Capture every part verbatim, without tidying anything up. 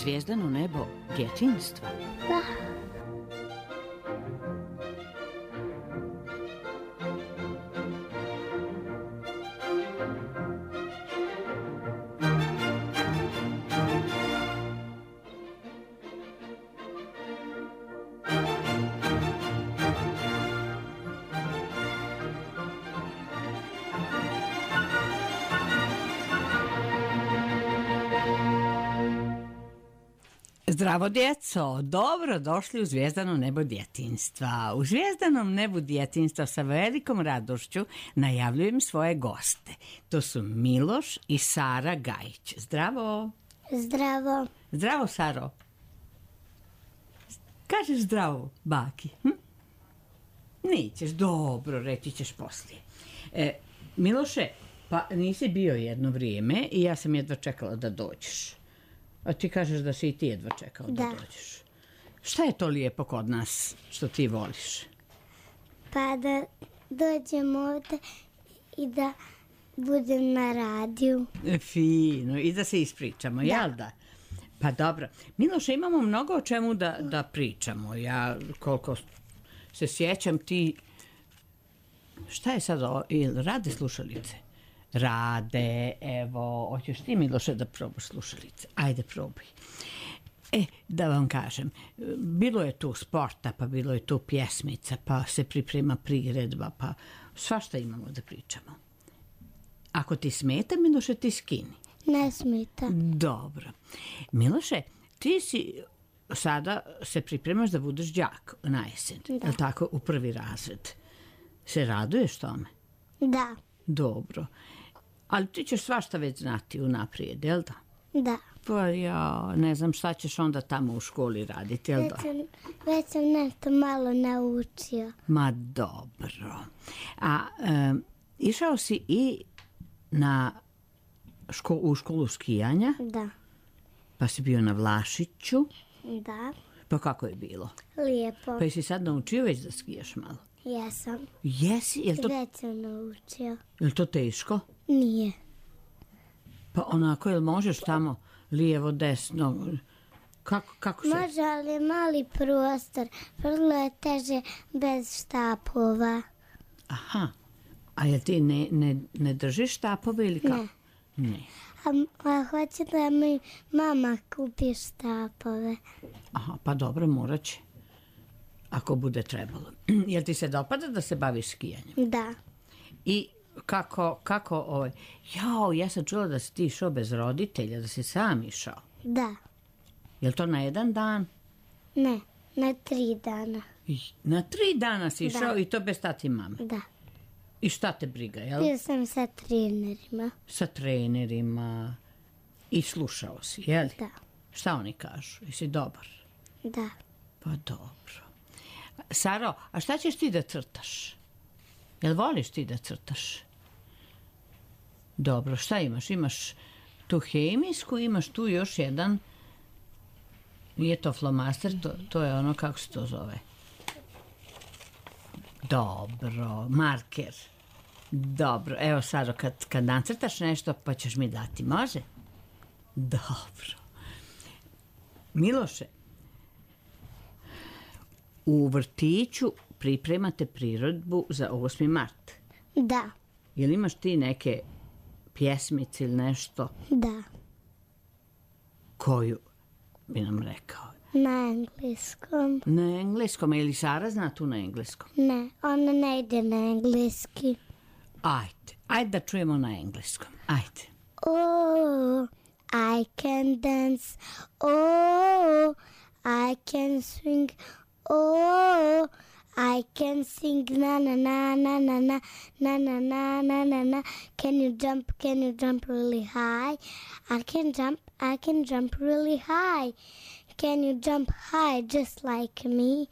Zvijezdano nebo djetinjstva. Da. Zdravo djeco, dobro došli u Zvijezdano nebo djetinjstva. U Zvijezdanom nebu djetinjstva sa velikom radošću najavljujem svoje goste. To su Miloš i Sara Gajić. Zdravo. Zdravo. Zdravo, Saro. Kažeš zdravo, baki? Hm? Nećeš, dobro, reći ćeš poslije. E, Miloše, pa nisi bio jedno vrijeme i ja sam jedva čekala da dođeš. A ti kažeš da si i ti jedva čekao da, da dođeš. Šta je to lijepo kod nas što ti voliš? Pa da dođem ovdje i da budem na radiju. Fino, i da se ispričamo, da. Jel da? Pa dobro. Miloše, imamo mnogo o čemu da, da pričamo. Ja, koliko se sjećam, ti... Šta je sad ovo? Ili rade slušalice? Rade, evo, hoćeš ti, Miloše, da probaš slušalice? Ajde, probaj. E, da vam kažem, bilo je tu sporta, pa bilo je tu pjesmica, pa se priprema priredba, pa svašta imamo da pričamo. Ako ti smeta, Miloše, ti skini. Ne smeta. Dobro. Miloše, ti si sada se pripremaš da budeš đak na jesen, da. Je li tako, u prvi razred? Se raduješ tome? Da. Dobro. Ali ti ćeš svašta već znati unaprijed, jel da? Da. Pa ja ne znam šta ćeš onda tamo u školi raditi, jel da? Već sam, već sam nešto malo naučio. Ma dobro. A um, išao si i na ško, u školu skijanja? Da. Pa si bio na Vlašiću? Da. Pa kako je bilo? Lijepo. Pa jesi sad naučio već da skijaš malo? Jesam. Jesi? Jel to, već sam naučio. Jel to teško? Nije. Pa onako, jel možeš tamo lijevo, desno? Kako, kako se... Može, ali je mali prostor. Vrlo je teže bez štapova. Aha. A jel ti ne, ne, ne držiš štapove ili kako? Ne. Ne. A, a hoće da mi mama kupi štapove. Aha, pa dobro, morat će. Ako bude trebalo. Jel ti se dopada da se baviš skijanjem? Da. I kako, kako, ovaj, jao, ja sam čula da si ti išao bez roditelja, da si sam išao. Da. Jel to na jedan dan? Ne, na tri dana. I, na tri dana si išao da. I to bez tati i mame? Da. I šta te briga, jel? Bio sam sa trenerima. Sa trenerima. I slušao si, jel? Da. Šta oni kažu? Jesi dobar? Da. Pa dobro. Saro, a šta ćeš ti da crtaš? Jel voliš ti da crtaš? Dobro, šta imaš? Imaš tu hemijsku, imaš tu još jedan, nije to flomaster, to, to je ono, kako se to zove? Dobro, marker. Dobro, evo Saro, kad, kad nacrtaš nešto, pa ćeš mi dati, može? Dobro. Miloše, u vrtiću pripremate priredbu za osmi mart. Da. Jel imaš ti neke pjesmice ili nešto? Da. Koju bi nam rekao? Na engleskom. Na engleskom, ili Sara zna tu na engleskom? Ne, ona ne ide na engleski. Ajde, ajde da čujemo na engleskom, ajde. Oh, I can dance, oh, I can swing, oh, I can sing na na na na na na na na na na na na. Can you jump? Can you jump really high? I can jump. I can jump really high. Can you jump high just like me?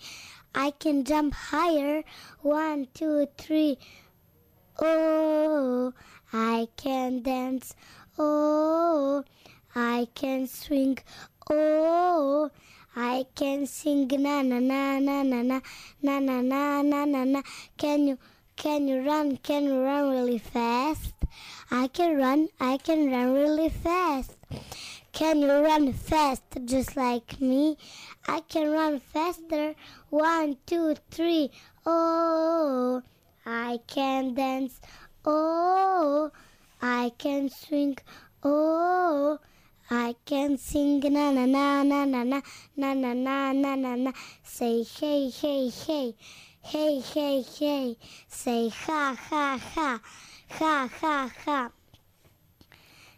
I can jump higher. One, two, three. Oh, I can dance. Oh, I can swing. Oh, I can sing na na na na na na na na na na na na. Can you can you run? Can you run really fast? I can run. I can run really fast. Can you run fast just like me? I can run faster. One, two, three. Oh, I can dance. Oh, I can swing. Oh, I can sing. Na na na na na na na na na na na na. Say hey hey hey. Hey hey hey. Say ha ha ha. Ha ha ha.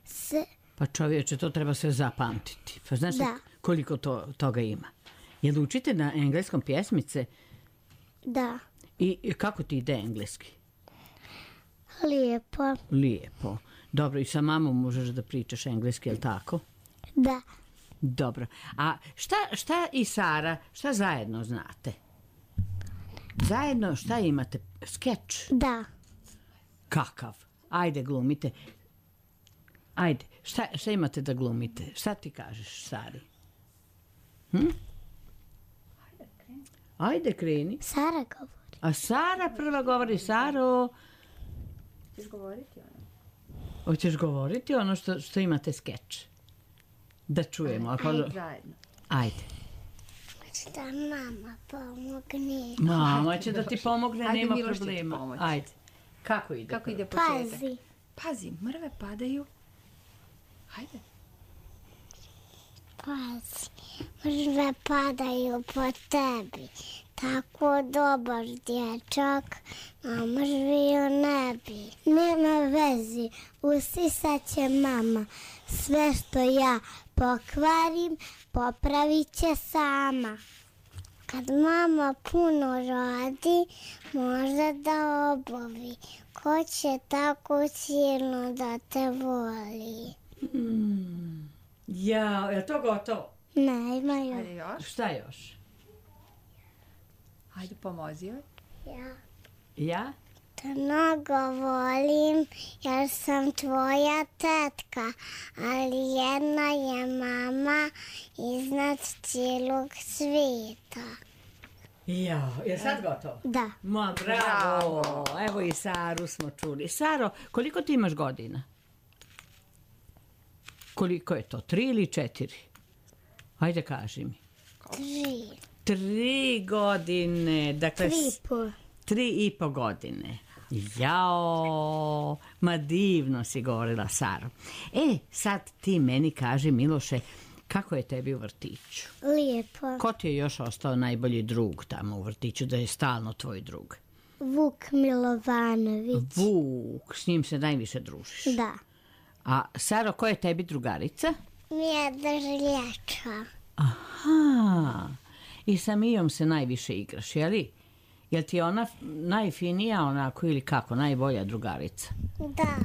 Se... Pa čovječe, to treba sve zapamtiti. Pa znaš Da. koliko to, toga ima? Jel učite na engleskom pjesmice? Da. I, I kako ti ide engleski? Lijepo. Lijepo. Dobro, i sa mamom možeš da pričaš engleski, jel tako? Da. Dobro. A šta, šta i Sara, šta zajedno znate? Zajedno šta imate? Skeč? Da. Kakav? Ajde, glumite. Ajde, šta, šta imate da glumite? Šta ti kažeš, Sari? Hm? Ajde, kreni. Sara govori. A Sara prva govori. Saro, Ćeš govoriti ono? hoćeš govoriti ono što, što imate skeč? Da čujemo. Ako... Ajde, zajedno. Ajde. Da mama pomogne. Mama će da ti pomogne, Ajde, nema Miloš će ti problema. pomoći. Ajde. Kako ide? Kako ide početak? Pazi. Pazi, mrve padaju. Hajde. Pazi. Mrve padaju po tebi. Tako dobar dječak, a mrvio ne bi. Nema vezi, usisat će mama. Sve što ja pokvarim, popravit će sama. Kad mama puno radi, može da obavi. Ko će tako silno da te voli? Mm. Ja, je to gotovo? Ne, ima još. Hajde još. Šta još? Hajde, pomozi joj. Ja Ja? te mnogo volim jer sam tvoja tetka, ali jedna je mama iznad cijelog svijeta. Ja, je sad gotovo? Da, Ma, bravo. Evo i Saru smo čuli. Saro, koliko ti imaš godina? Koliko je to? Tri ili četiri? Ajde, kaži mi. tri, Tri godine. Dakle, tri s- po. tri i po godine. Jao, ma divno si govorila, Saro. E, sad ti meni kaži, Miloše, kako je tebi u vrtiću? Lijepo. Ko ti je još ostao najbolji drug tamo u vrtiću, da je stalno tvoj drug? Vuk Milovanović. Vuk, s njim se najviše družiš. Da. A Saro, ko je tebi drugarica? Mjeda Žiljača. Aha, i sa Mijom se najviše igraš, jeli? Jel ti je ona najfinija onako ili kako, najbolja drugarica? Da.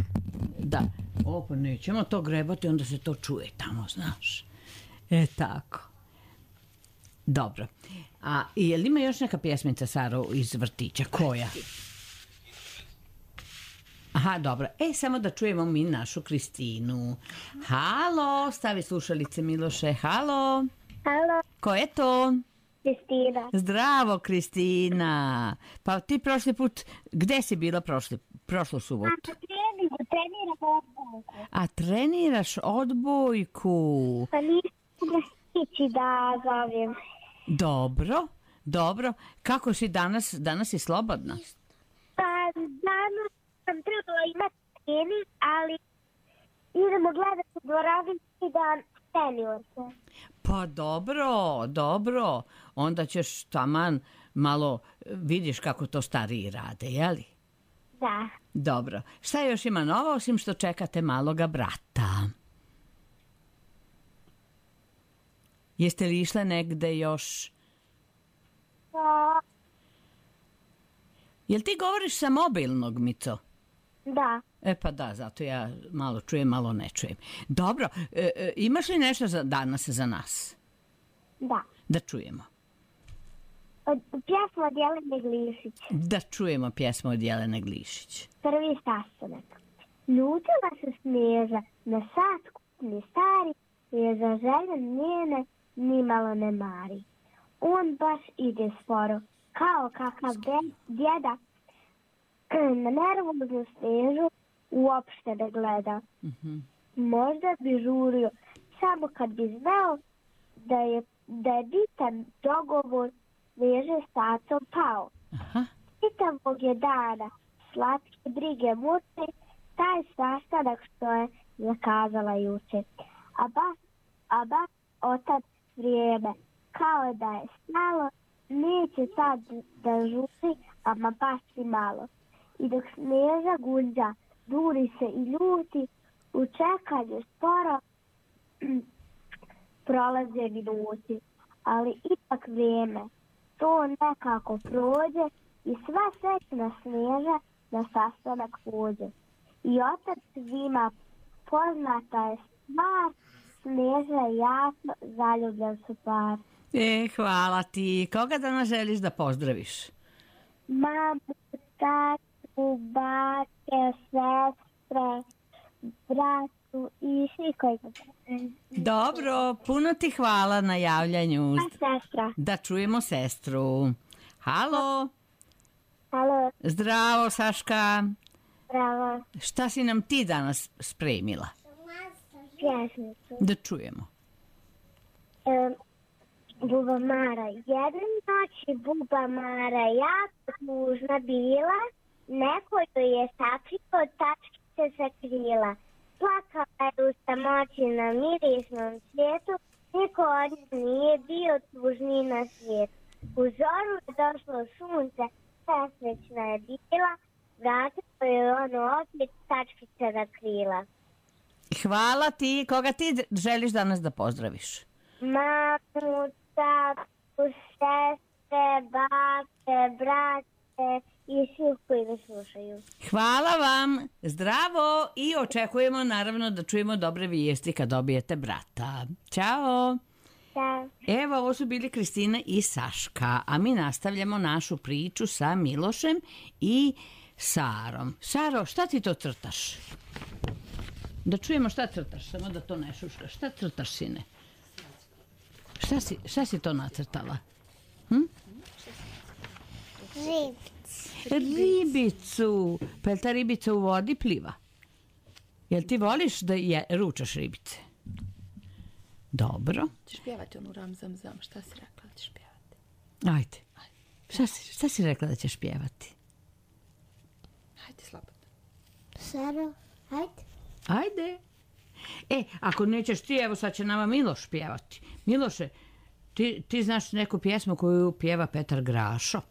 Da. O, pa nećemo to grebati, onda se to čuje tamo, znaš. E, tako. Dobro. A je li ima još neka pjesmica, Saro, iz vrtića? Koja? Aha, dobro. E, samo da čujemo mi našu Kristinu. Halo, stavi slušalice, Miloše. Halo. Halo, Ko je to? Kristina. Zdravo, Kristina. Pa ti prošli put, gde si bila prošli, prošlu subotu? Treningu, treniram odbojku. A treniraš odbojku. Pa nisam mogla stići da zovem. Dobro, dobro. Kako si danas? Danas si slobodna? Pa danas sam trebala imati trening, ali idemo gledati u dvorani i da seniorce. Pa dobro, dobro. Onda ćeš taman malo vidiš kako to stariji rade, jeli? Da. Dobro. Šta još ima novo osim što čekate maloga brata? Jeste li išle negde još? Pa, Jel ti govoriš sa mobilnog, Mico? da. E pa da, zato ja malo čujem, malo ne čujem. Dobro, e, e, imaš li nešto za danas za nas? Da. Da čujemo. Od pjesma od Jelene Glišić. Da čujemo pjesmu od Jelene Glišić. Prvi sastanak. Ljutila se Snježa na sat kupni stari, jer za želje njene nimalo ne mari. On baš ide sporo, kao kakav de- djeda, na nervoznu Snježu uopšte ne gleda. Mhm. Možda bi žurio samo kad bi znao da je, da je bitan dogovor veže s tacom pao. Aha. Čitavog je dana slatke brige muče, taj sastanak što je zakazala juče. A baš, a baš otad vrijeme, kao da je stalo, neće sad da žuri, ama baš i malo. I dok Snježa gunđa, duri se i ljuti, u čekanju sporo prolaze minuti. Ali ipak vrijeme, to nekako prođe i sva srećna Snježa na sastanak pođe. I otac svima poznata je stvar, Snježa i jako zaljubljen su par. E, hvala ti. Koga danas želiš da pozdraviš? Mamu, tatu, bake, sestre, bratu i svi koji ga Dobro, puno ti hvala na javljanju. A sestra. Da čujemo sestru. Halo, Halo, zdravo Saška. bravo, Šta si nam ti danas spremila? pjesnicu. Da čujemo. Um, Buba Mara. Jedne noći Buba Mara jako tužna bila, neko joj je sakrilo tačkice sa krila. Plakala je u samoći na mirisnom svijetu, niko od nje nije bio tužniji na svijetu. U zoru je došlo sunce, srećna je bila, vratilo je ono opet tačkice na krila. Hvala ti. Koga ti želiš danas da pozdraviš? Mamu, tatu, sestre, bake, brate i svi koji ga slušaju. Hvala vam. Zdravo i očekujemo naravno da čujemo dobre vijesti kad dobijete brata. Ćao. Da. Evo, ovo su bili Kristina i Saška, a mi nastavljamo našu priču sa Milošem i Sarom. Saro, šta ti to crtaš? Da čujemo šta crtaš, samo da to ne šuškaš. Šta crtaš, sine? Šta si, šta si to nacrtala? Hm? Ribic. Ribicu. Pa je ta ribica u vodi pliva? Jel ti voliš da je, ručaš ribice? Dobro. Ćeš pjevati onu ram zam zam, šta si rekla da ćeš pjevati? Ajde. Šta si, šta si rekla da ćeš pjevati? Hajde slobodno. Saro, hajde. Ajde. E, ako nećeš ti, evo sad će nama Miloš pjevati. Miloše, ti, ti znaš neku pjesmu koju pjeva Petar Grašo?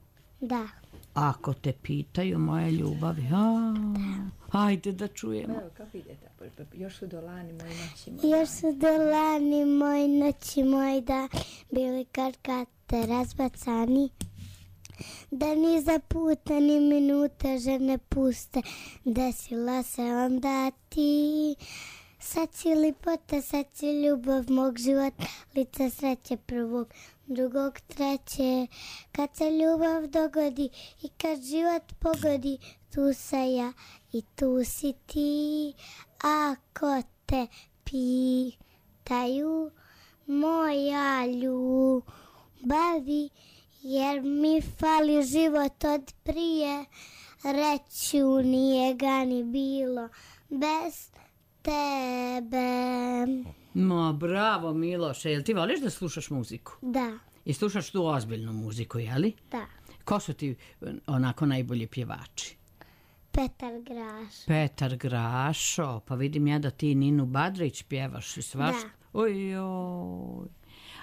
Da. Ako te pitaju moje ljubavi. A, ajde da čujemo. Evo, kako ide ta borba? Još su dolani moji noći moji. Još su dolani moji noći moj da bili kad kad te razbacani. Da ni za puta ni minute žene puste, desila se onda ti. Sad si lipota, sad si ljubav mog života, lica sreće prvog, drugog, treće. Kad se ljubav dogodi i kad život pogodi, tu sam ja i tu si ti. Ako te pitaju moja ljubavi, jer mi fali život od prije, reću nije ga ni bilo bez tebe. Ma, bravo Miloše, jel ti voliš da slušaš muziku? Da, I slušaš tu ozbiljnu muziku, jeli? da. Ko su ti onako najbolji pjevači? Petar Graš. Petar Grašo, pa vidim ja da ti Ninu Badrić pjevaš i svašta. Da. Ojoj.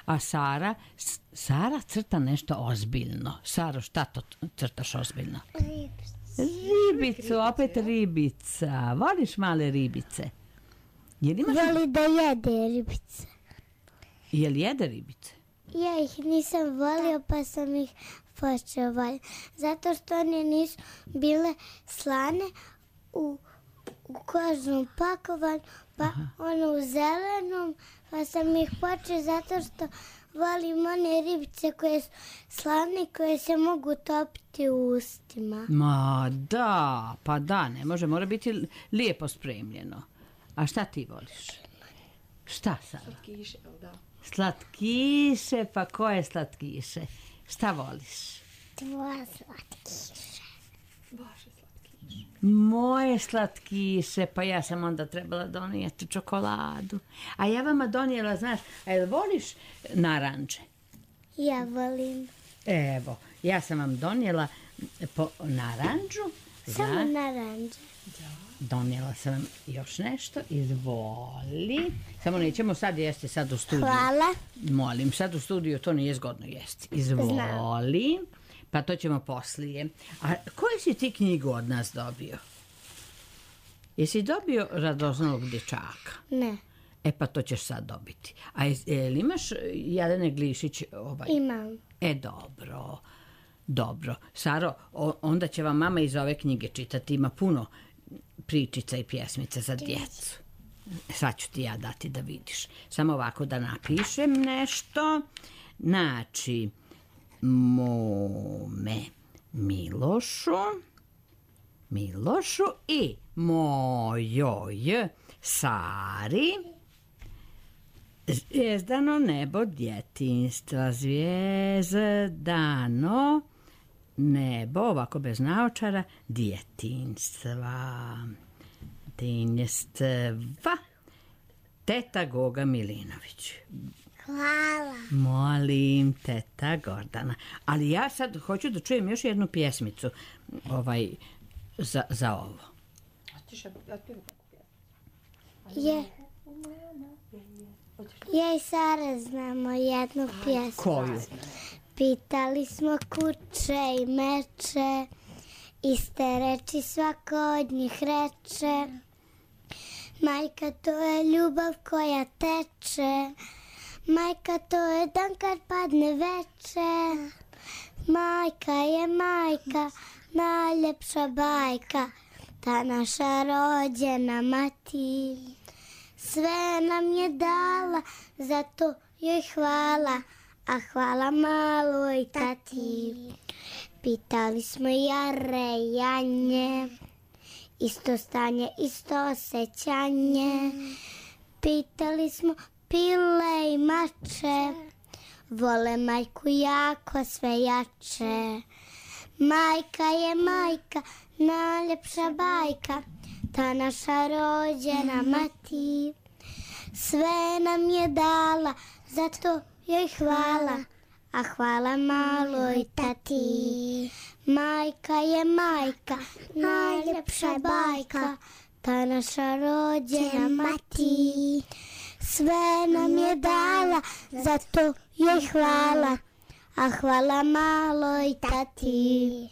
A Sara, S- Sara crta nešto ozbiljno. Saro, šta to crtaš ozbiljno? Ribicu, opet ribica. Voliš male ribice? Jel imaš... Voli da jede ribice. Jel jede ribice? Ja ih nisam volio pa sam ih počeo voljeti. Zato što one nisu bile slane u, u kožnom pakovanju, pa Aha. ono u zelenom, pa sam ih počeo zato što volim one ribice koje su slane, koje se mogu topiti u ustima. Ma da, pa da, ne može, mora biti lijepo spremljeno. A šta ti voliš? Šta Sara? Slatkiše, jel da? Slatkiše, pa koje slatkiše? Šta voliš? Dva slatkiše. Baš je slatki. Moje slatkiše, pa ja sam onda trebala donijeti čokoladu. A ja vama donijela, znaš, a jel voliš naranče? Ja volim. Evo, ja sam vam donijela po naranđu. Samo za- naranđe. Donijela sam vam još nešto, izvoli. Samo nećemo sad jesti, sad u studiju. Hvala. Molim, sad u studiju to nije zgodno jesti. Izvoli. Pa to ćemo poslije. A koju si ti knjigu od nas dobio? Jesi dobio Radoznalog dječaka? Ne, E pa to ćeš sad dobiti. A je, jel imaš Jelene Glišić ovaj? imam. E dobro, dobro. Saro, o- onda će vam mama iz ove knjige čitati. Ima puno pričica i pjesmica za djecu. Sad ću ti ja dati da vidiš. Samo ovako da napišem nešto. Znači, mome Milošu, Milošu i mojoj Sari, zvijezdano nebo djetinjstva, zvijezdano nebo, ovako bez naočara, djetinjstva, djetinjstva, teta Goga Milinović. Hvala. Molim, teta Gordana. Ali ja sad hoću da čujem još jednu pjesmicu ovaj, za, za ovo. Je. Ja i Sara znamo jednu pjesmu. Koju? Pitali smo kuće i meče, iste reči svako od njih reče. Majka, to je ljubav koja teče, majka, to je dan kad padne veče. Majka je majka, najljepša bajka, ta naša rođena mati. Sve nam je dala, zato joj hvala, a hvala maloj tati. Pitali smo Jare i Janje, isto stanje, isto osjećanje. Pitali smo pile i mače, vole majku jako sve jače. Majka je majka, najljepša bajka, ta naša rođena mati. Sve nam je dala, zato joj hvala, a hvala maloj tati. Majka je majka, najljepša bajka, ta naša rođena mati. Sve nam je dala, zato joj hvala, a hvala maloj tati.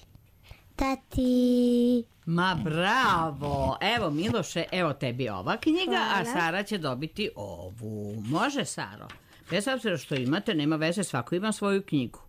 Tati. Ma bravo! Evo Miloše, evo tebi ova knjiga, a Sara će dobiti ovu. Može, Saro? Bez obzira što imate, nema veze, svako ima svoju knjigu.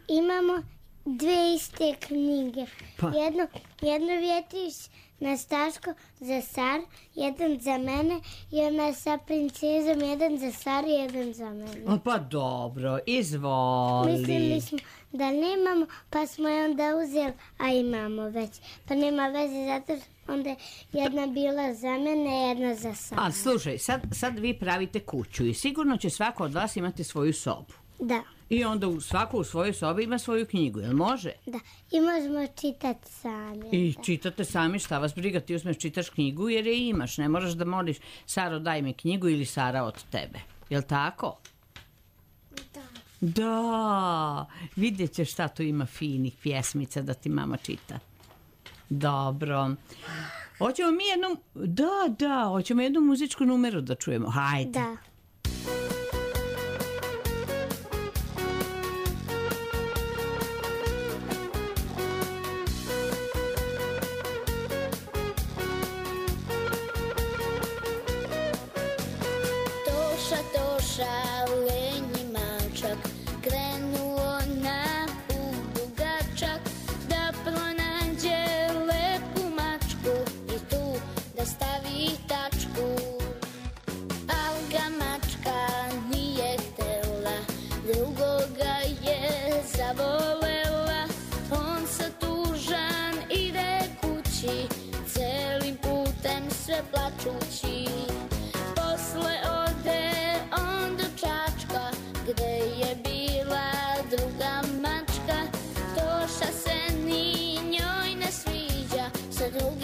Imamo dve iste knjige. Pa. Jednu, jednu vjetiš na Staško za Sar, jedan za mene i ona sa princezom, jedan za Sar i jedan za mene. O, pa dobro, izvoli. Mislili smo da nemamo, pa smo je onda uzeli, a imamo već. Pa nema veze, zato što onda je jedna bila za mene, jedna za Sar. Ali slušaj, sad, sad vi pravite kuću i sigurno će svako od vas imati svoju sobu. Da, I onda u, svako u svojoj sobi ima svoju knjigu, jel može? da. I možemo čitati sami. I čitate sami, šta vas briga, ti uzmeš čitaš knjigu jer je imaš, ne moraš da moliš Saro daj mi knjigu ili Sara od tebe, jel tako? Da. Da, vidjet ćeš šta tu ima finih pjesmica da ti mama čita. Dobro. Hoćemo mi jednu, da, da, hoćemo jednu muzičku numeru da čujemo, hajde. Da. Toša, toša, lenji mačak, krenuo na put dugačak, da pronađe lepu mačku i tu da stavi tačku. Al ga mačka nije htela, drugoga je zavolela. On sa tužan ide kući, celim putem sve plačući. Posle ode on do Čačka, gde je bila druga mačka. Toša se ni njoj ne sviđa, sa drugim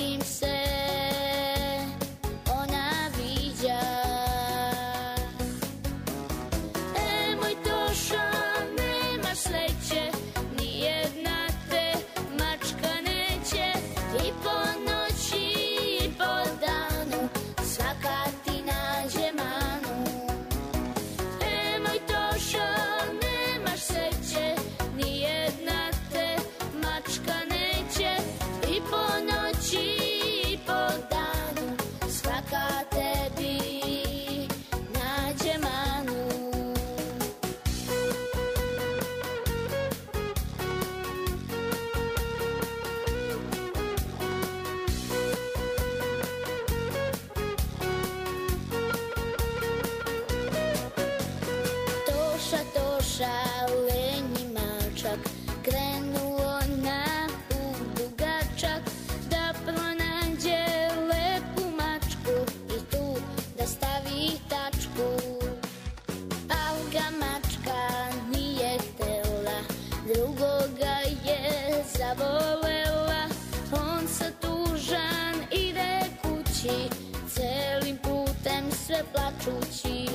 sve plačući.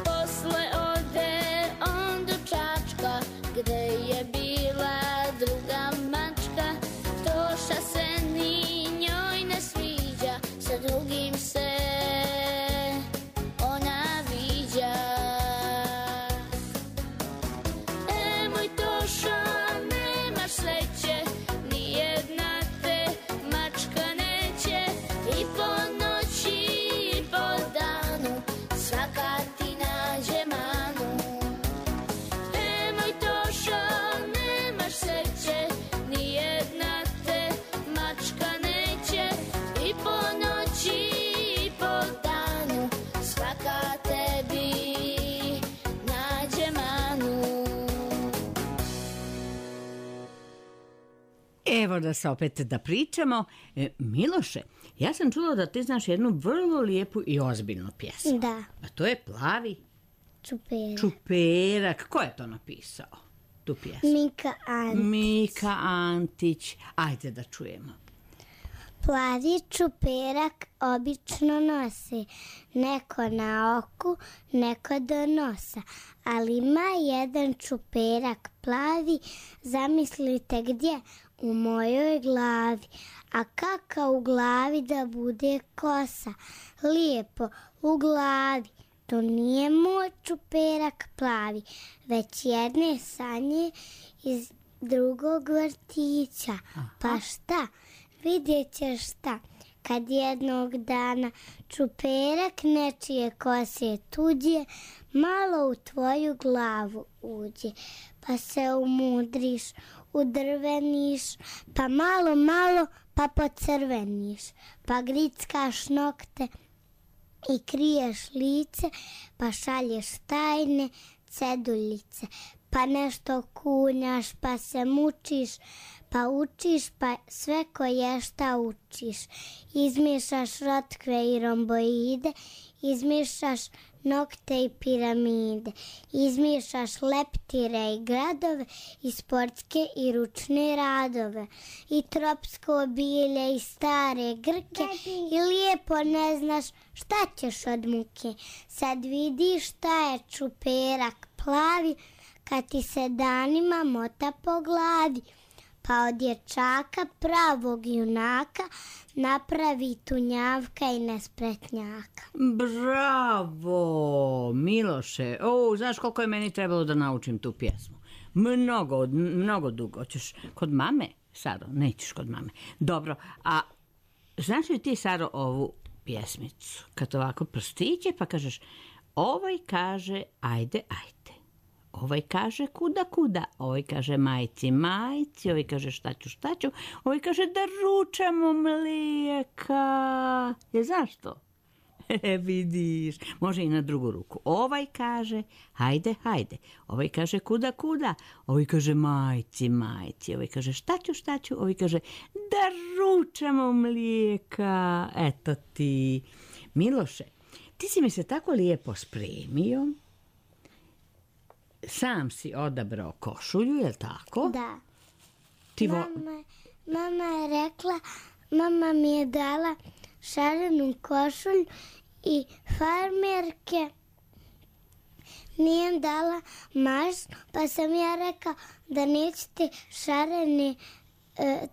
Posle ode on do Čačka, gde je bila druga mačka. Toša se ni njoj ne sviđa, sa drugim se ona viđa. E, moj Toša, nemaš sreće, ni jedna te mačka neće. I po noći i po danu svaka ti nađe manu. E, moj Toša, nemaš sreće, ni jedna te mačka neće. I po noći i po danu svaka tebi nađe manu. Evo da se opet da pričamo. E, Miloše, ja sam čula da ti znaš jednu vrlo lijepu i ozbiljnu pjesmu. Da, A to je Plavi čuperak. čuperak. Ko je to napisao, tu pjesmu? Mika Antić. Mika Antić. Ajde da čujemo. Plavi čuperak obično nosi neko na oku, neko do nosa, ali ima jedan čuperak plavi, zamislite gdje, u mojoj glavi. A kaka u glavi da bude kosa, lijepo u glavi. To nije moj čuperak plavi, već jedne sanje iz drugog vrtića. Pa šta? Vidjet ćeš šta, kad jednog dana čuperak nečije kose tuđe, malo u tvoju glavu uđe, pa se umudriš, udrveniš, pa malo, malo, pa pocrveniš, pa grickaš nokte i kriješ lice, pa šalješ tajne ceduljice, pa nešto kunjaš, pa se mučiš, pa učiš, pa sve koje šta učiš. Izmišaš rotkve i romboide, izmišaš nokte i piramide, izmišaš leptire i gradove, i sportske i ručne radove, i tropsko bilje i stare grke, i lijepo ne znaš šta ćeš od muke. Sad vidiš šta je čuperak plavi, kad ti se danima mota po glavi. Pa od dječaka pravog junaka napravi tunjavka i nespretnjaka. Bravo, Miloše. O, znaš koliko je meni trebalo da naučim tu pjesmu? Mnogo, mnogo dugo. Hoćeš kod mame, Saro? Nećeš kod mame. Dobro, a znaš li ti, Saro, ovu pjesmicu? Kad ovako prstiće pa kažeš, ovaj kaže ajde, ajde. Ovaj kaže kuda, kuda, ovaj kaže majci, majci, ovaj kaže šta ću, šta ću, ovaj kaže da ručamo mlijeka. Je zašto? E, vidiš, može i na drugu ruku. Ovaj kaže hajde, hajde, ovaj kaže kuda, kuda, ovaj kaže majci, majci, ovaj kaže šta ću, šta ću, ovaj kaže da ručamo mlijeka. Eto ti. Miloše, ti si mi se tako lijepo spremio. Sam si odabrao košulju, je li tako? Da. Ti vo... Mama, mama je rekla, mama mi je dala šarenu košulju i farmerke nije dala mašnu, pa sam ja rekao da nećete šarene,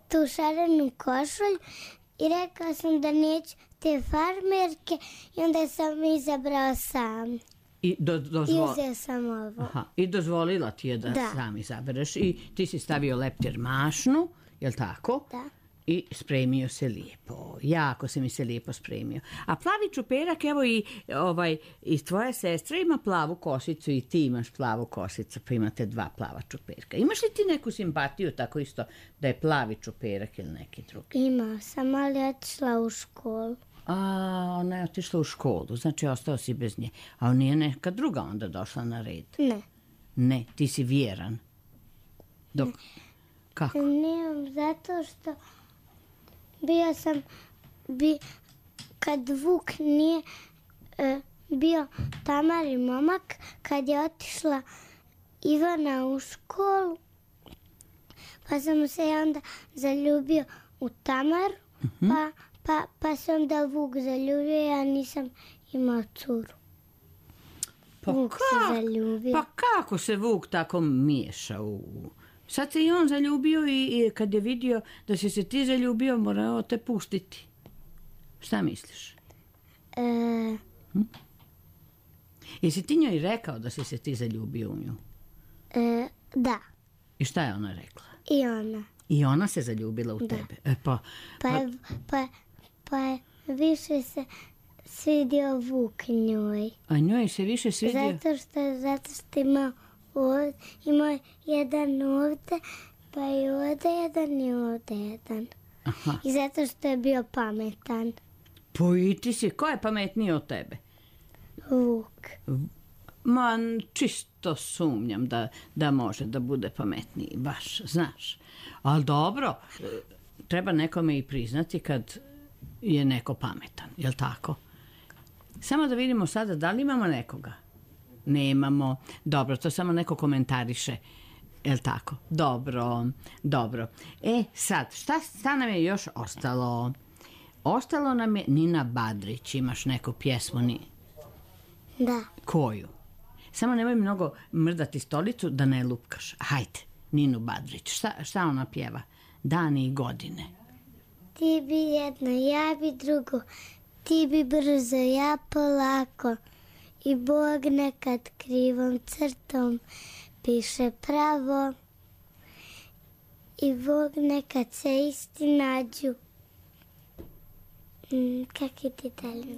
tu šarenu košulju i rekao sam da neću te farmerke i onda sam izabrao sam. I, do, dozvol... I uzeo sam ovo. Aha, i dozvolila ti je da, Da. sam izabereš. I ti si stavio leptir mašnu, je li tako? Da. I spremio se lijepo. Jako se mi se lijepo spremio. A plavi čuperak, evo i, ovaj, i tvoja sestra ima plavu kosicu i ti imaš plavu kosicu, pa imate dva plava čuperka. Imaš li ti neku simpatiju tako isto da je plavi čuperak ili neki drugi? Imao sam, ali otišla u školu. A, ona je otišla u školu, znači ostao si bez nje. A nije neka druga onda došla na red? Ne. Ne, ti si vjeran. Dok... Kako? Nemam, zato što bio sam, bi, kad Vuk nije e, bio Tamari momak, kad je otišla Ivana u školu, pa sam se onda zaljubio u Tamaru, uh-huh. pa, pa, pa se onda Vuk zaljubio, ja nisam imao curu. Pa, Vuk se kak- zaljubio. pa kako se Vuk tako miješa u... Sad se i on zaljubio i, i kad je vidio da si se ti zaljubio, morao te pustiti. Šta misliš? E, Jesi ti njoj rekao da si se ti zaljubio u nju? e, da, I šta je ona rekla? i ona. I ona se zaljubila u tebe. E pa, Pa je, pa, pa je više se svidio Vuk njoj. a njoj se više svidio... Zato što, zato što imao, ovdje, imao jedan ovdje, pa i ovdje jedan i ovdje jedan. Aha. I zato što je bio pametan. Pa i ti si, ko je pametniji od tebe? Vuk. Ma, čisto sumnjam da, da može da bude pametniji, baš, znaš. Ali dobro, e, treba nekome i priznati kad je neko pametan, jel tako? Samo da vidimo sada da li imamo nekoga. Nemamo. Dobro, to samo neko komentariše. Jel tako? Dobro, dobro. E, sad, šta, šta nam je još ostalo? Ostalo nam je Nina Badrić. Imaš neku pjesmu? Ni... Da. Koju? Samo nemoj mnogo mrdati stolicu da ne lupkaš. Hajde, Ninu Badrić. Šta, šta ona pjeva? Dani i godine. Ti bi jedno, ja bi drugo. Ti bi brzo, ja polako. I Bog nekad krivom crtom piše pravo. I Bog nekad se isti nađu. Mm, kak je ti dalje?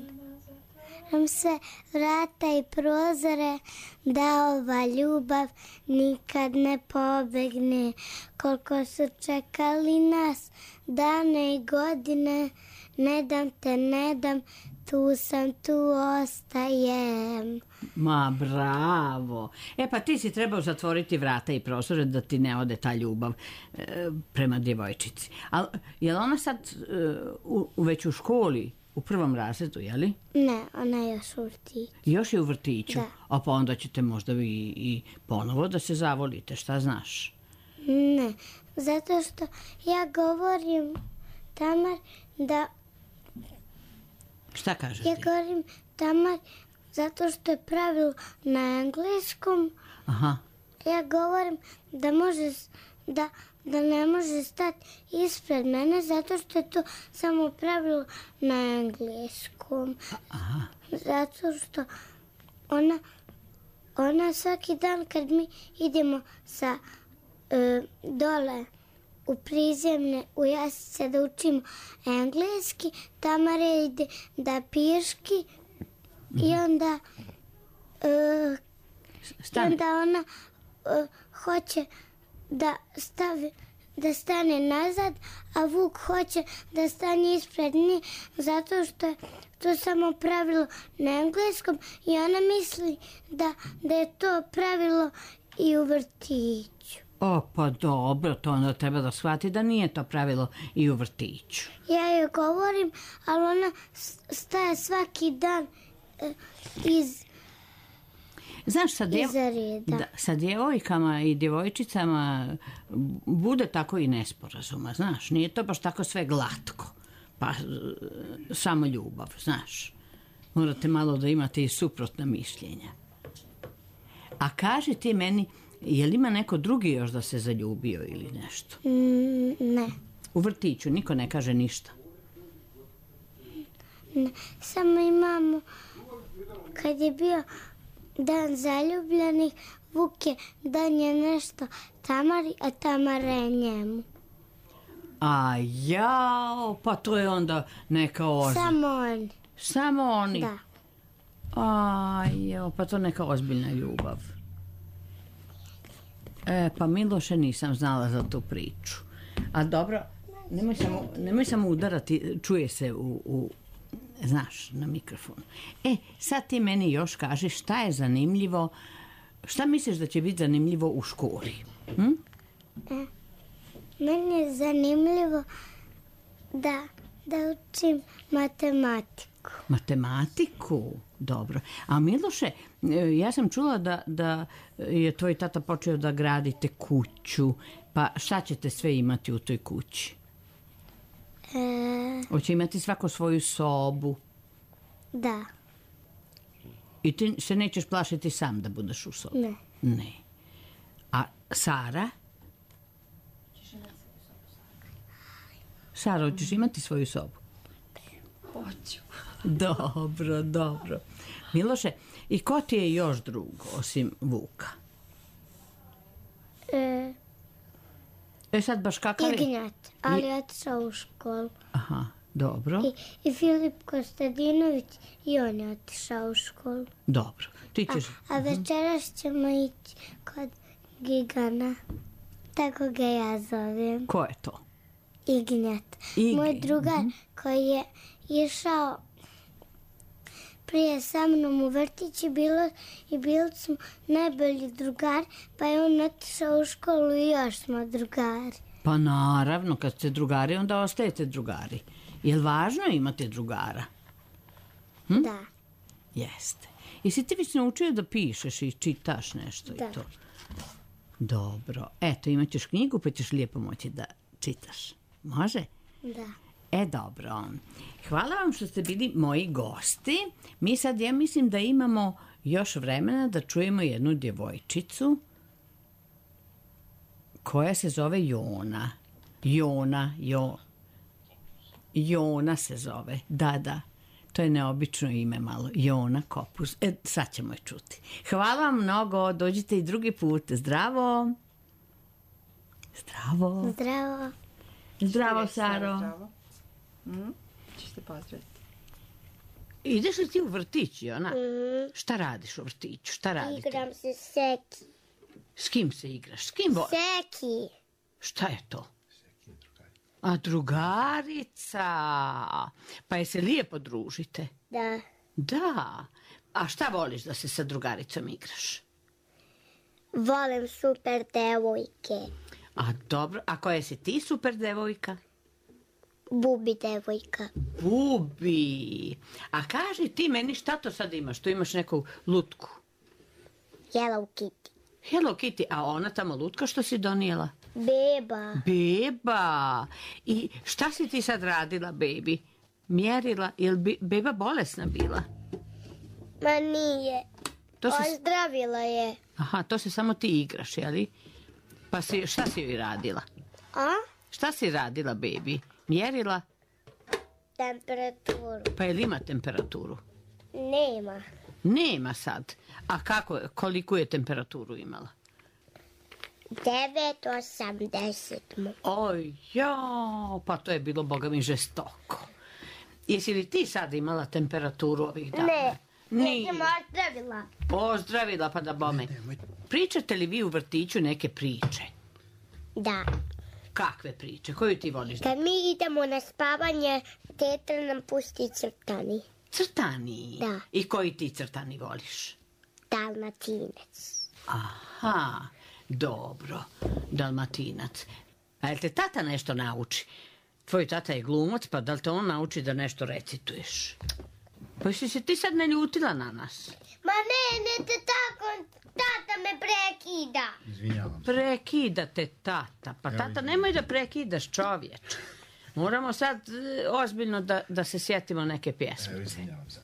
Nam sve vrata i prozore da ova ljubav nikad ne pobegne. Koliko su čekali nas dane i godine, ne dam te, ne dam, tu sam, tu ostajem. Ma, bravo. E, pa ti si trebao zatvoriti vrata i prozore da ti ne ode ta ljubav e, prema djevojčici. Ali, je li ona sad e, u, u već u školi, u prvom razredu, je li? Ne, ona je još u vrtiću. Još je u vrtiću? Da. A pa onda ćete možda i, i ponovo da se zavolite, šta znaš? Ne, zato što ja govorim, Tamar, da Šta kažeš ja ti? govorim Tamar zato što je pravilo na engleskom. Aha. Ja govorim da može, da, da ne može stati ispred mene zato što je to samo pravilo na engleskom. Aha. Zato što ona, ona svaki dan kad mi idemo sa e, dole u prizemne, u Jasice da učimo engleski, Tamara ide da piški i onda e, i Stani. onda ona e, hoće da stavi da stane nazad, a Vuk hoće da stane ispred nje zato što je to samo pravilo na engleskom i ona misli da, da je to pravilo i u vrtiću. O, pa dobro, to onda treba da shvati da nije to pravilo i u vrtiću. Ja joj govorim, ali ona s- staje svaki dan e, iz, Znaš, sa, djev... iza reda. da, sa djevojkama i djevojčicama bude tako i nesporazuma, znaš. Nije to baš tako sve glatko. Pa e, samo ljubav, znaš. Morate malo da imate i suprotna mišljenja. A kaži ti meni, je li ima neko drugi još da se zaljubio ili nešto? Mm, ne, U vrtiću niko ne kaže ništa. ne, samo imamo, kad je bio dan zaljubljenih, Vuk je donio nešto Tamari, a Tamara je njemu. A jao, pa to je onda neka ozbiljna. Samo on, Samo oni? da. A jao, pa to neka ozbiljna ljubav. E, pa Miloše nisam znala za tu priču. A dobro, nemoj samo, nemoj samo udarati, čuje se u, u, znaš, na mikrofonu. E, sad ti meni još kaži šta je zanimljivo, šta misliš da će biti zanimljivo u školi? Hm? Meni je zanimljivo da, da učim matematiku. Matematiku? Dobro. A Miloše, e, ja sam čula da, da je tvoj tata počeo da gradite kuću. Pa šta ćete sve imati u toj kući? E, Hoće imati svako svoju sobu. da. I ti se nećeš plašiti sam da budeš u sobi? Ne. Ne. A Sara? Sara, hoćeš imati svoju sobu? Hoću. Dobro, dobro. Miloše, i ko ti je još drug, osim Vuka? E, E sad baš kakav je? Ignjat, ali je otišao u školu. Aha, dobro, I, I Filip Kostadinović, i on je otišao u školu. dobro. Ti ćeš... A večeras ćemo ići kod Gigana. Tako ga ja zovem. Ko je to? Ignjat. Igi, Moj drugar koji je išao prije sa mnom u vrtić i bilo, i bili smo najbolji drugar, pa je on otišao u školu i još smo drugari. Pa naravno, kad ste drugari, onda ostajete drugari. Je li važno imati drugara? Da. Jeste. Jesi ti već naučio da pišeš i čitaš nešto Da. i to? Dobro. Eto, imat ćeš knjigu pa ćeš lijepo moći da čitaš. Može? Da. E, dobro. Hvala vam što ste bili moji gosti. Mi sad, ja mislim da imamo još vremena da čujemo jednu djevojčicu koja se zove Jona. Jona, jo. Jona se zove. Da, da. To je neobično ime malo. Jona Kopus. E, sad ćemo je čuti. Hvala vam mnogo. Dođite i drugi put. Zdravo. Zdravo. Zdravo. Zdravo, Saro. Zdravo. Mm? Ćeš se pozdraviti. Ideš li ti u vrtić, Jona? Mm, Šta radiš u vrtiću? Šta radite? igram se Seki. S kim se igraš? S kim vo... Seki. Šta je to? A drugarica. Pa je se lijepo družite? Da. Da. A šta voliš da se sa drugaricom igraš? Volim super devojke. A dobro, a koja si ti super devojka? Bubi devojka. Bubi. A kaži ti meni šta to sad imaš? Tu imaš neku lutku. Hello Kitty. Hello Kitty, a ona tamo lutka što si donijela? Beba. Beba. I šta si ti sad radila, bebi? Mjerila? Je li bi- beba bolesna bila? Ma nije. To se... Ozdravila je. Aha, to se samo ti igraš, jeli? Pa si, šta si joj radila? A? Šta si radila, bebi? Mjerila? Temperaturu. Pa je li ima temperaturu? Nema. Nema sad. A kako, koliko je temperaturu imala? devet osamdeset mu. Oj, jao, pa to je bilo, boga mi, žestoko. Jesi li ti sad imala temperaturu ovih dana? Ne. Nije. Nisam ozdravila. Ozdravila pa da bome. Pričate li vi u vrtiću neke priče? Da. Kakve priče? Koju ti voliš? Kad mi idemo na spavanje, teta nam pusti crtani. Crtani. Da. I koji ti crtani voliš? Dalmatinac. Aha, dobro. Dalmatinac. A jel te tata nešto nauči? Tvoj tata je glumac, pa da li te on nauči da nešto recituješ? Pa si se ti sad ne ljutila na nas? Ma ne, ne te tako, tata me prekida. Izvinjavam se. Prekidate tata. Pa tata, nemoj da prekidaš, čovječe. Moramo sad e, ozbiljno da, da se sjetimo neke Evo, pjesmice. izvinjavam se.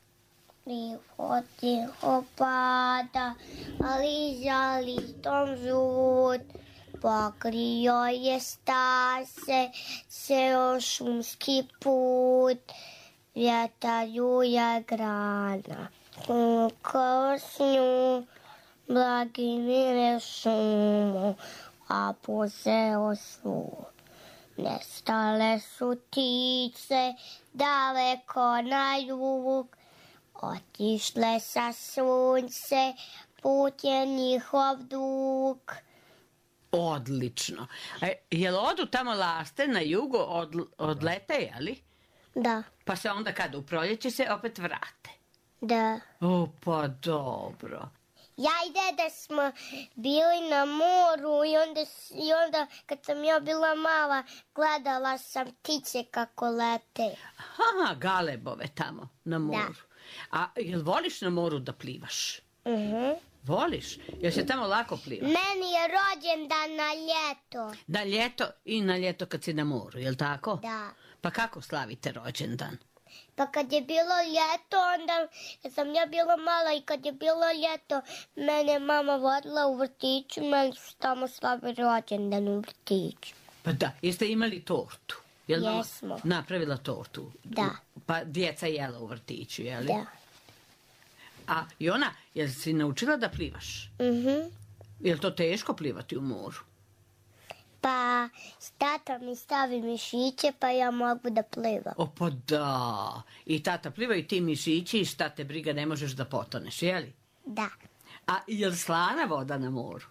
Tiho, tiho pada, ali za listom žut. Pokrio je stase, ceo šumski put. Vjetar je grana, kao s nju, blagi mire šumu, a poseo su. Nestale su ptice, daleko na jug, otišle sa sunce, put je njihov dug. Odlično. E, jel odu tamo laste na jugo, od, odlete, jeli? Da, Pa se onda kad u proljeće se opet vrate. da. O, pa dobro. Ja i deda smo bili na moru i onda, s- i onda kad sam ja bila mala gledala sam ptice kako lete. Aha, galebove tamo na moru. A jel voliš na moru da plivaš? Mhm. Voliš? Jel se tamo lako pliva? Meni je rođendan na ljeto. Da ljeto i na ljeto kad si na moru, jel tako? Da. Pa kako slavite rođendan? Pa kad je bilo ljeto, onda kad sam ja bila mala i kad je bilo ljeto, mene mama vodila u vrtiću, meni su tamo slavi rođendan u vrtiću. Pa da, jeste imali tortu? Jel mama Jesmo. napravila tortu? Da. Pa djeca jela u vrtiću, jeli? Da. A i ona, jel si naučila da plivaš? Mhm. Jel to teško plivati u moru? Pa tata mi stavi mišiće, pa ja mogu da plivam. O, pa da. I tata pliva i ti mišići i šta te briga, ne možeš da potoneš, jeli? Da. A jel slana voda na moru?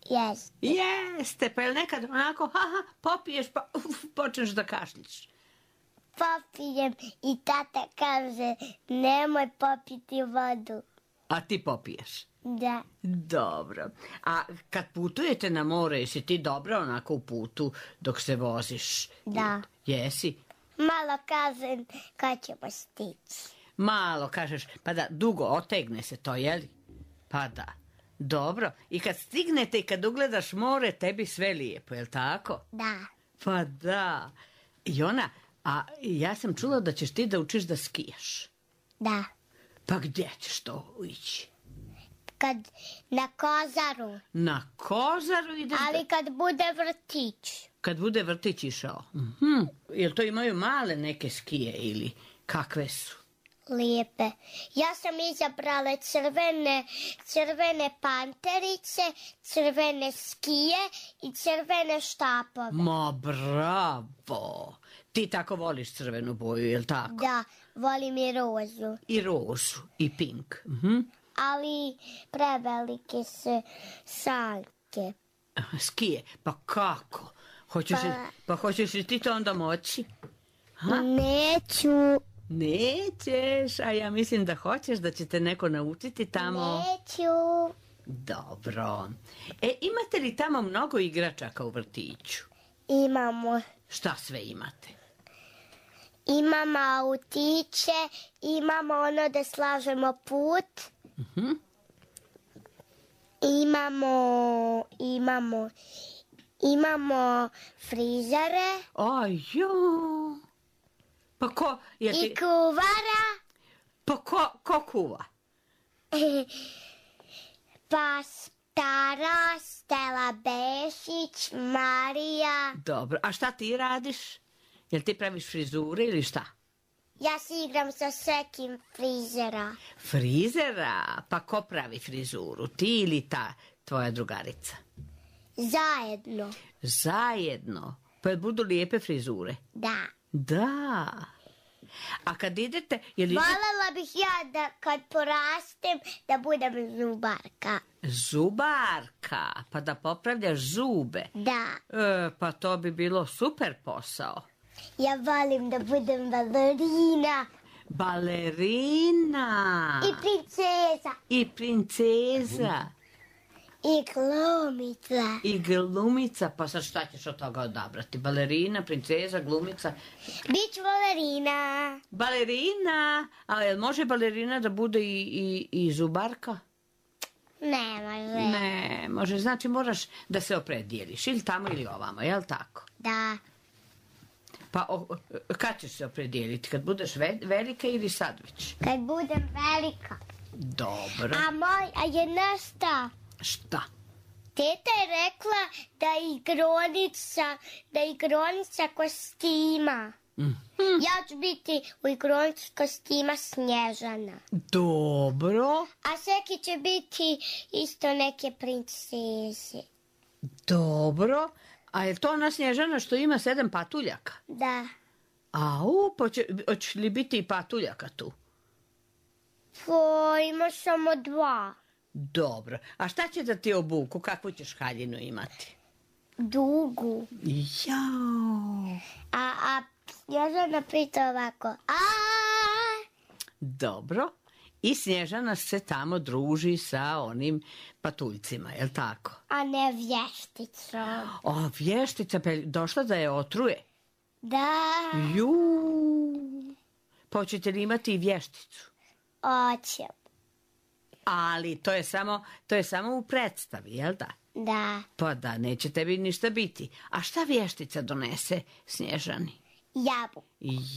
Jes. Jeste, pa jel nekad onako, haha, popiješ pa uf, počneš da kašljiš? Popijem i tata kaže, nemoj popiti vodu. A ti popiješ? Da. Dobro. A kad putujete na more, jesi ti dobra onako u putu dok se voziš? Da. Jesi? Malo kažem kad ćemo stići. Malo kažeš, pa da, dugo otegne se to, jeli? Pa da. Dobro. I kad stignete i kad ugledaš more, tebi sve lijepo, jel tako? Da. Pa da. I ona, a ja sam čula da ćeš ti da učiš da skijaš. Da. Pa gdje ćeš to ići? Kad na Kozaru. Na Kozaru ideš? Ali kad bude vrtić. Kad bude vrtić išao. Mhm. Jel to imaju male neke skije ili kakve su? Lijepe. Ja sam izabrala crvene, crvene panterice, crvene skije i crvene štapove. Ma bravo! Ti tako voliš crvenu boju, jel tako? Da, volim i rozu. I rozu, i pink. Mhm. Ali prevelike su sanke. Skije, pa kako? Hoćeš, Pa- li- pa hoćeš li ti to onda moći? Neću. Nećeš, a ja mislim da hoćeš, da će te neko naučiti tamo. Neću. Dobro. E, imate li tamo mnogo igračaka u vrtiću? Imamo. Šta sve imate? Imamo autiće, imamo ono da slažemo put. Mhm. Imamo, imamo, imamo frizere Aj, jo. Pa ko, je i ti, kuvara, pa ko, ko kuva? pa stara Stela Bešić, Marija. Dobro, a šta ti radiš? Jel ti praviš frizure ili šta? Ja se igram sa sekim frizera. Frizera? Pa ko pravi frizuru? Ti ili ta tvoja drugarica? Zajedno. Zajedno. Pa jel budu lijepe frizure? Da. Da. A kad idete... Jel idete... Voljela bih ja da kad porastem da budem zubarka. Zubarka. Pa da popravljaš zube. Da. E, pa to bi bilo super posao. Ja volim da budem balerina Balerina. i princeza I princeza. i glumica. I glumica. Pa sad šta ćeš od toga odabrati? Balerina, princeza, glumica. Bić balerina. Balerina. A jel može balerina da bude i, i, i zubarka? Ne može. Ne, može. Znači moraš da se opredijeliš. Ili tamo ili ovamo, jel tako? Da. Pa o, kad ćeš se opredijeliti? Kad budeš ve, velika ili sad već? Kad budem velika. Dobro. A moj, a je nasta. Šta? Teta je rekla da igronica, da igronica kostima. Mhm. Ja ću biti u igronici kostima Snježana. Dobro. A Seki će biti isto neke princeze. Dobro. A je to ona Snježana što ima sedam patuljaka? Da. Au, pa će, hoće li biti i patuljaka tu? Po, ima samo dva. Dobro. A šta će da ti obuku? Kakvu ćeš haljinu imati? Dugu. Jao. A, a Snježana pita ovako. A, Dobro. I Snježana se tamo druži sa onim patuljcima, jel tako? a ne vješticom. O, vještica, pa je došla da je otruje. Da, Ju. Pa hoćete li imati i vješticu? oćem. Ali to je samo, to je samo u predstavi, jel da? Da. Pa da, neće tebi ništa biti. A šta vještica donese Snježani? Jabuku.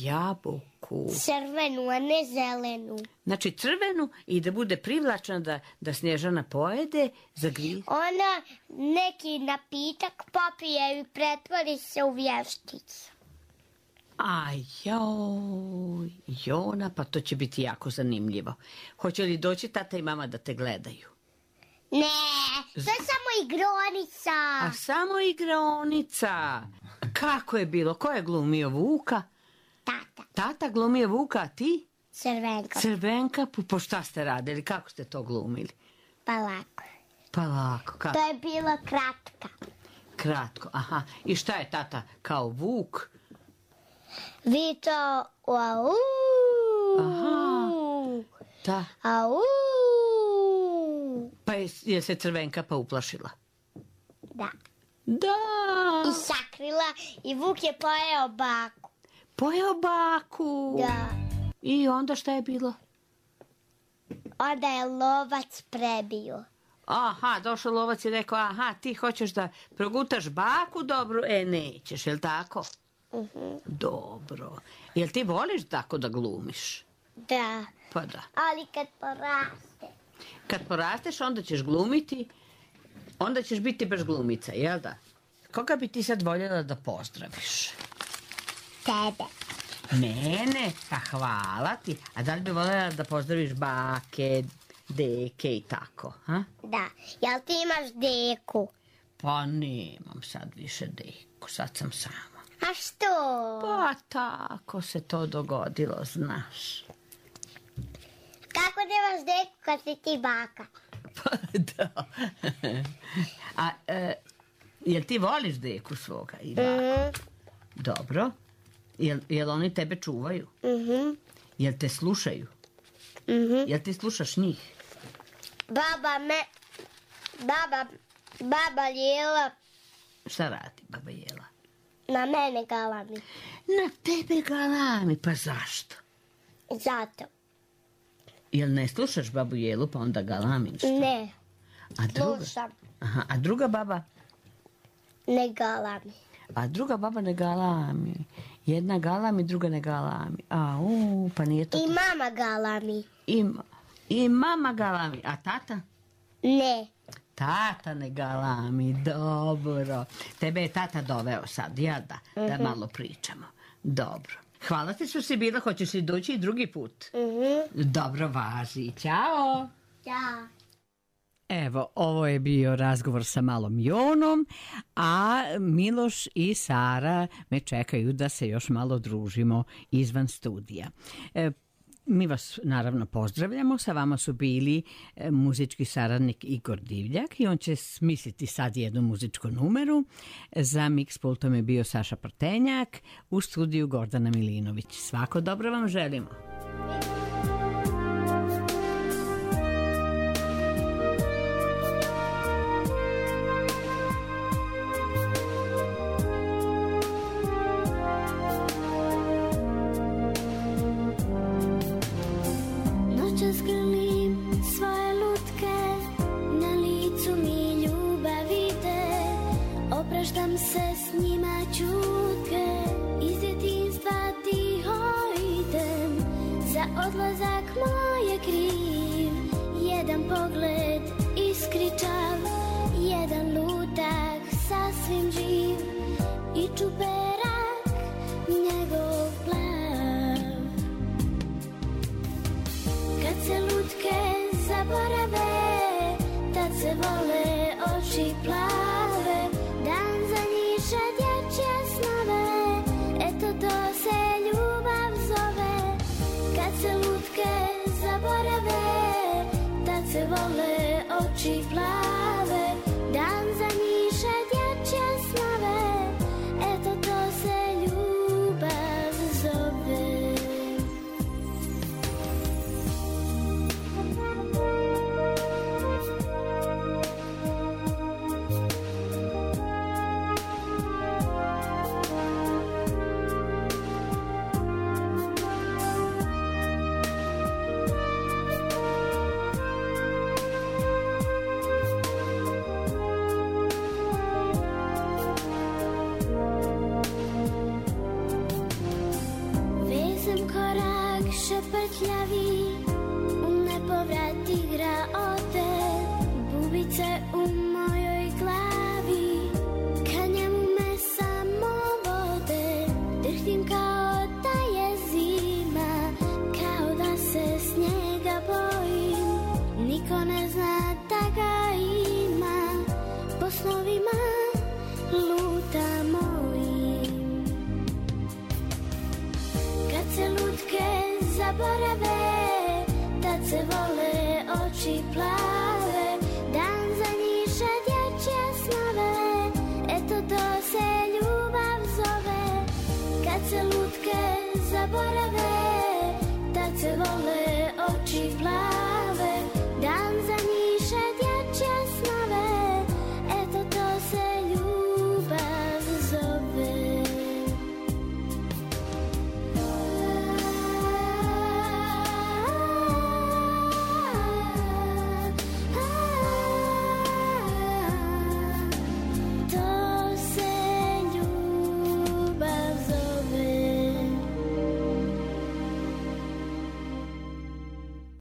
Jabuku. Crvenu, a ne zelenu. Znači crvenu i da bude privlačna da, da Snježana pojede, zagrize. Ona neki napitak popije i pretvori se u vješticu. Aj, joj, Jona, pa to će biti jako zanimljivo. Hoće li doći tata i mama da te gledaju? Ne, to je samo igronica. A samo igraonica. Kako je bilo? Ko je glumio Vuka? Tata. Tata glumio Vuka, a ti? Crvenka. Crvenka, po, po šta ste radili? Kako ste to glumili? Pa lako. Pa lako, kako? To je bilo kratka. Kratko, aha. I šta je tata kao Vuk? Vito, au. Aha. Da. Au. Pa je, je se Crvenka pa uplašila? Da. Da. I sakrila i Vuk je pojeo baku. Pojeo baku. Da. I onda šta je bilo? Onda je lovac prebio. Aha, došao lovac i rekao, aha, ti hoćeš da progutaš baku, dobro, e, nećeš, jel tako? Uh-huh. Dobro. Jel ti voliš tako da glumiš? Da. Pa da. Ali kad poraste. Kad porasteš, onda ćeš glumiti, onda ćeš biti baš glumica, jel da? Koga bi ti sad voljela da pozdraviš? Tebe. Mene? Pa hvala ti. A da li bi voljela da pozdraviš bake, deke i tako, ha? Da. Jel ti imaš deku? Pa nemam sad više deku, sad sam sama. A što? Pa tako se to dogodilo, znaš. Kako nemaš deku kad si ti baka? Pa da. A e, jel ti voliš deku svoga i baku? Mhm. Dobro. Jel, jel oni tebe čuvaju? Mhm. Jel te slušaju? Mhm. Jel ti slušaš njih? Baba me... Baba... Baba Lijela Šta radi baba Jela? na mene galami. Na tebe galami, pa zašto? Zato. Jel ne slušaš babu Jelu pa onda galamiš? Ne. A druga? Slušam. Aha, a druga baba? Ne galami. A druga baba ne galami. Jedna galami, druga ne galami. A, u, pa nije to... I mama galami. I, I mama galami. A tata? Ne. Tata ne galami, dobro. Tebe je tata doveo sad, jel da? Da malo pričamo. Dobro. Hvala ti što si bila, hoćeš li doći i drugi put? Mhm. Dobro, važi. Ćao. Da. Evo, ovo je bio razgovor sa malom Jonom, a Miloš i Sara me čekaju da se još malo družimo izvan studija. E, mi vas naravno pozdravljamo, sa vama su bili e, muzički saradnik Igor Divljak i on će smisliti sad jednu muzičku numeru. Za mix pultom je bio Saša Prtenjak, u studiju Gordana Milinović. Svako dobro vam želimo. Opraštam se s njima čutke, iz djetinjstva tiho idem, za odlazak moj je kriv, jedan pogled iskričav, jedan lutak sasvim živ i čuperak njegov plav. Kad se lutke zaborave, tad se vole oči plave, dan za njiše dječje snove, eto to se ljubav zove. Kad se lutke zaborave, tad se vole oči plave, dan za njiše dječje snove, eto to se ljubav zove. ljuta ga ima, po snovima luta mojim. Kad se lutke zaborave, tad se vole oči plave, dan za njiše dječje snove, eto to se ljubav zove. Kad se lutke zaborave, tad se vole oči plave,